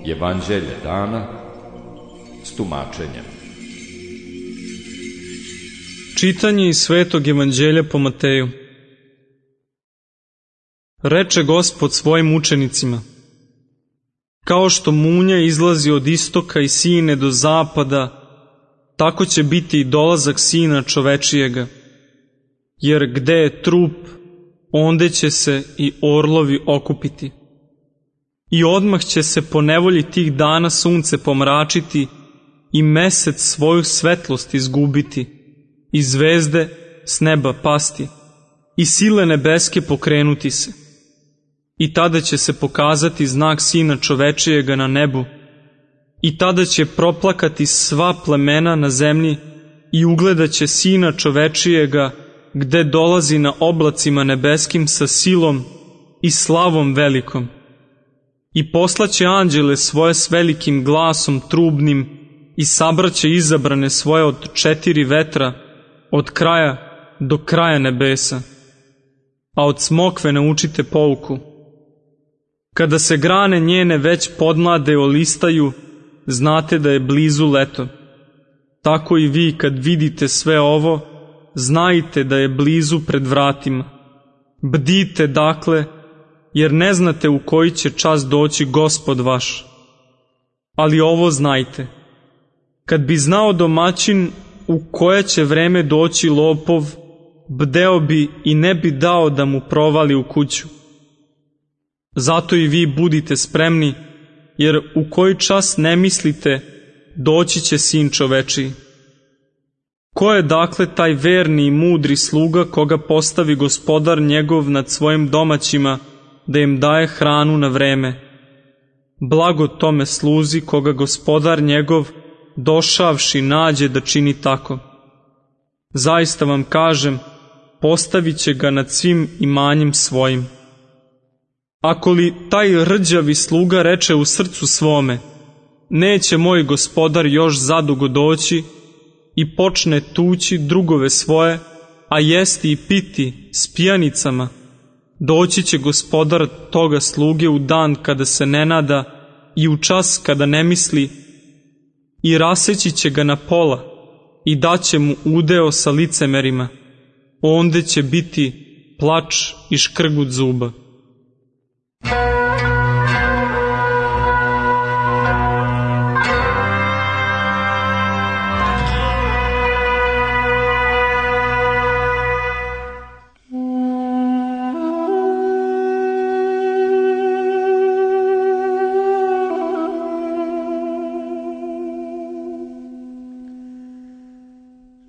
Evanđelje dana s tumačenjem. Čitanje iz Svetog Evanđelja po Mateju. Reče Gospod svojim učenicima: kao što munja izlazi od istoka i sine do zapada, tako će biti i dolazak Sina čovečijega. Jer gde je trup, onde će se i orlovi okupiti. I odmah će se po nevolji tih dana sunce pomračiti i mesec svoju svetlost izgubiti, i zvezde s neba pasti, i sile nebeske pokrenuti se. I tada će se pokazati znak Sina čovečijega na nebu, i tada će proplakati sva plemena na zemlji i ugledaće Sina čovečijega gde dolazi na oblacima nebeskim sa silom i slavom velikom. I poslaće anđele svoje s velikim glasom trubnim i sabraće izabrane svoje od 4 vetra, od kraja do kraja nebesa. A od smokve naučite pouku. Kada se grane njene već podmlade olistaju, znate da je blizu leto. Tako i vi kad vidite sve ovo, znajte da je blizu pred vratima. Bdite dakle, jer ne znate u koji će čas doći Gospod vaš. Ali ovo znajte: kad bi znao domaćin u koje će vreme doći lopov, bdeo bi i ne bi dao da mu provali u kuću. Zato i vi budite spremni, jer u koji čas ne mislite, doći će Sin čovečiji. Ko je dakle taj verni i mudri sluga koga postavi Gospodar njegov nad svojim domaćima, da im daje hranu na vreme? Blago tome sluzi koga Gospodar njegov, došavši, nađe da čini tako. Zaista vam kažem, postavit će ga nad svim imanjem svojim. Ako li taj rđavi sluga reče u srcu svome: neće moj Gospodar još zadugo doći, i počne tući drugove svoje, a jesti i piti s pijanicama, doći će Gospodar toga sluge u dan kada se ne nada i u čas kada ne misli, i raseći će ga na pola i daće mu udeo sa licemerima. Onde će biti plač i škrgut zuba.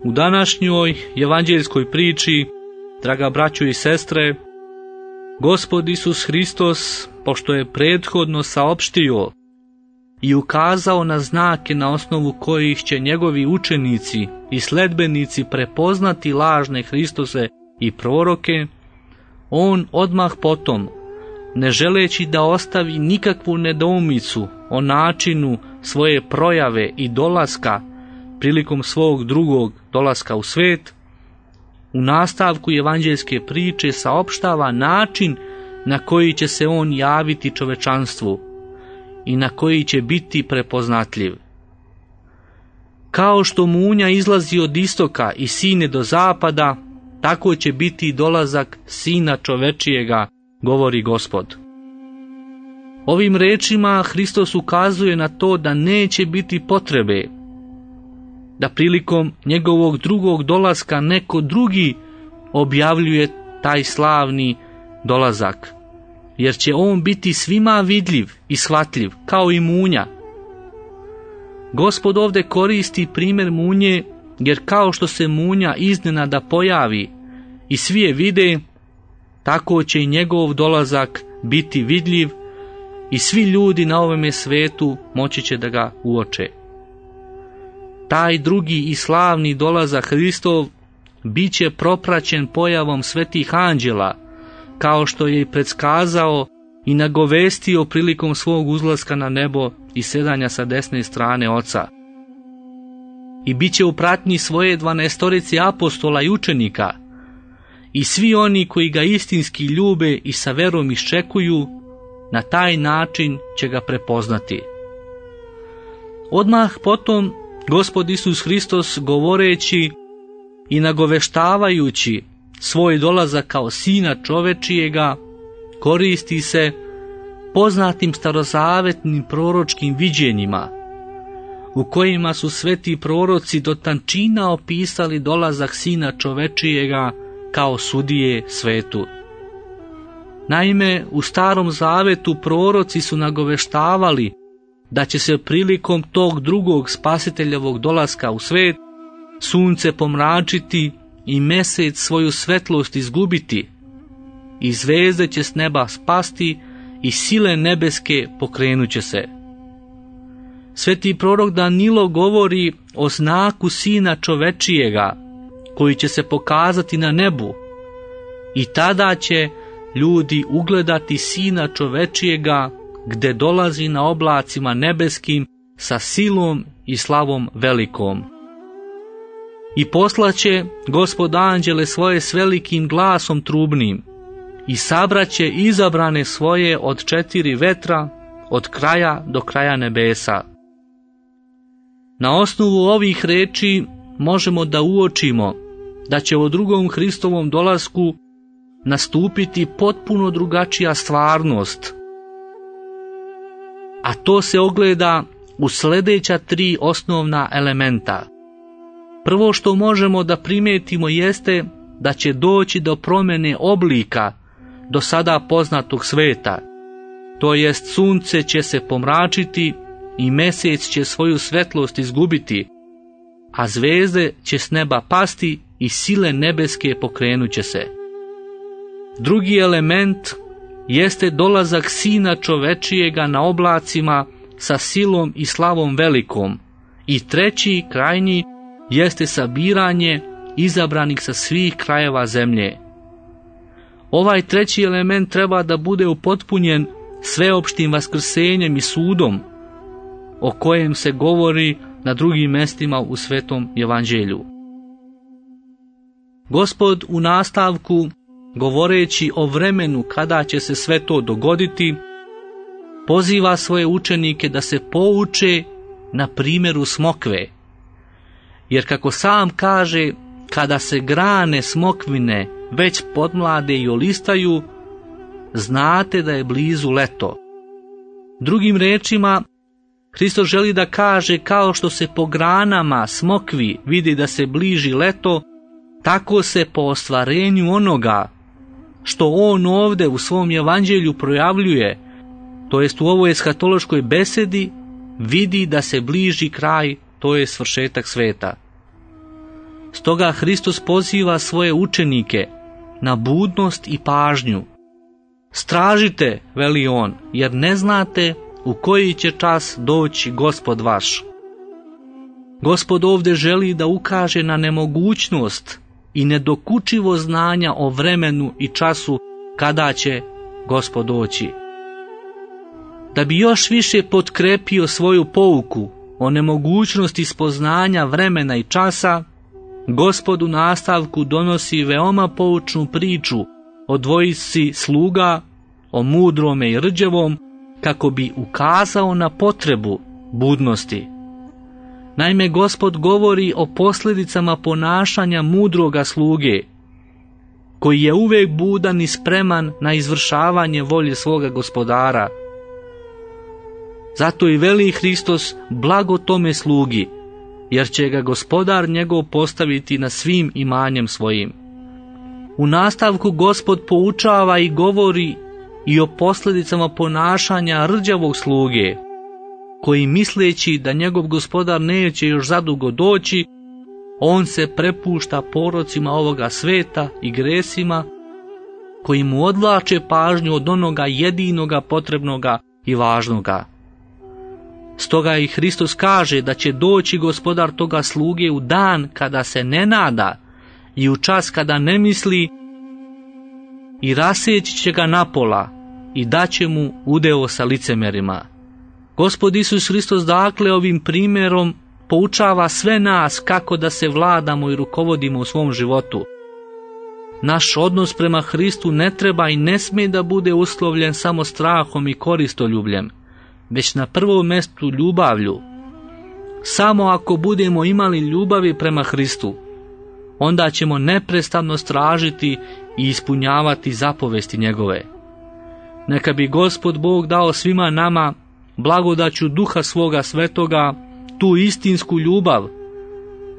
U današnjoj evanđeljskoj priči, draga braćo i sestre, Gospod Isus Hristos, pošto je prethodno saopštio i ukazao na znake na osnovu kojih će njegovi učenici i sledbenici prepoznati lažne Hristose i proroke, on odmah potom, ne želeći da ostavi nikakvu nedoumicu o načinu svoje projave i dolaska prilikom svog drugog dolaska u svet, u nastavku evanđeljske priče saopštava način na koji će se on javiti čovečanstvu i na koji će biti prepoznatljiv. Kao što munja izlazi od istoka i sine do zapada, tako će biti dolazak Sina čovečijega, govori Gospod. Ovim rečima Hristos ukazuje na to da neće biti potrebe da prilikom njegovog drugog dolaska neko drugi objavljuje taj slavni dolazak, jer će on biti svima vidljiv i shvatljiv, kao i munja. Gospod ovdje koristi primjer munje, jer kao što se munja iznenada pojavi i svi je vide, tako će i njegov dolazak biti vidljiv i svi ljudi na ovome svetu moći će da ga uoče. Taj drugi i slavni dolazak Hristov bit će propraćen pojavom svetih anđela, kao što je i predskazao i nagovestio prilikom svog uzlaska na nebo i sedanja sa desne strane Oca. I bit će u pratnji svoje 12 apostola i učenika, i svi oni koji ga istinski ljube i sa verom iščekuju, na taj način će ga prepoznati. Odmah potom Gospod Isus Hristos, govoreći i nagoveštavajući svoj dolazak kao Sina čovečijega, koristi se poznatim starozavetnim proročkim viđenjima, u kojima su sveti proroci do tančina opisali dolazak Sina čovečijega kao sudije svetu. Naime, u Starom Zavetu proroci su nagoveštavali da će se prilikom tog drugog spasiteljevog dolaska u svet sunce pomračiti i mesec svoju svetlost izgubiti, i zvezde će s neba spasti i sile nebeske pokrenuće se. Sveti prorok Danilo govori o znaku Sina čovečijega koji će se pokazati na nebu, i tada će ljudi ugledati Sina čovečijega gde dolazi na oblacima nebeskim sa silom i slavom velikom. I poslaće Gospod anđele svoje s velikim glasom trubnim i sabraće izabrane svoje od 4 vetra, od kraja do kraja nebesa. Na osnovu ovih reči možemo da uočimo da će u drugom Hristovom dolasku nastupiti potpuno drugačija stvarnost, a to se ogleda u sljedeća 3 osnovna elementa. Prvo što možemo da primetimo jeste da će doći do promjene oblika do sada poznatog sveta, to jest sunce će se pomračiti i mesec će svoju svetlost izgubiti, a zvezde će s neba pasti i sile nebeske pokrenuće se. Drugi element jeste dolazak Sina čovečijega na oblacima sa silom i slavom velikom, i treći, krajnji, jeste sabiranje izabranih sa svih krajeva zemlje. Ovaj treći element treba da bude upotpunjen sveopštim vaskrsenjem i sudom, o kojem se govori na drugim mestima u Svetom evanđelju. Gospod u nastavku, govoreći o vremenu kada će se sve to dogoditi, poziva svoje učenike da se pouče na primjeru smokve. Jer kako sam kaže, kada se grane smokvine već podmlade i olistaju, znate da je blizu leto. Drugim rečima, Hristos želi da kaže, kao što se po granama smokvi vidi da se bliži leto, tako se po ostvarenju onoga što on ovdje u svom evanđelju projavljuje, to jest u ovoj eshatološkoj besedi, vidi da se bliži kraj, to je svršetak sveta. Stoga Hristos poziva svoje učenike na budnost i pažnju. Stražite, veli on, jer ne znate u koji će čas doći Gospod vaš. Gospod ovdje želi da ukaže na nemogućnost i nedokučivo znanja o vremenu i času kada će Gospod doći. Da bi još više potkrepio svoju pouku o nemogućnosti spoznanja vremena i časa, Gospod u nastavku donosi veoma poučnu priču o dvojici sluga, o mudrome i rđevom, kako bi ukazao na potrebu budnosti. Naime, Gospod govori o posljedicama ponašanja mudroga sluge, koji je uvijek budan i spreman na izvršavanje volje svoga gospodara. Zato i veli Hristos blago tome slugi, jer će ga gospodar njegov postaviti na svim imanjem svojim. U nastavku Gospod poučava i govori i o posljedicama ponašanja rđavog sluge, koji misleći da njegov gospodar neće još zadugo doći, on se prepušta porocima ovoga sveta i gresima, koji mu odvlače pažnju od onoga jedinoga potrebnoga i važnoga. Stoga i Hristos kaže da će doći gospodar toga sluge u dan kada se ne nada i u čas kada ne misli, i raseći će ga napola i daće mu udeo sa licemerima. Gospod Isus Hristos dakle ovim primjerom poučava sve nas kako da se vladamo i rukovodimo u svom životu. Naš odnos prema Hristu ne treba i ne smije da bude uslovljen samo strahom i koristoljubljem, već na prvom mjestu ljubavlju. Samo ako budemo imali ljubavi prema Hristu, onda ćemo neprestano stražiti i ispunjavati zapovesti njegove. Neka bi Gospod Bog dao svima nama blagodaću Duha svoga svetoga tu istinsku ljubav,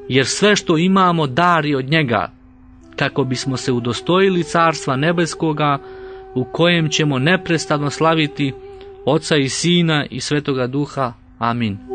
jer sve što imamo dar je od njega, kako bismo se udostojili Carstva nebeskoga, u kojem ćemo neprestano slaviti Oca i Sina i Svetoga Duha. Amin.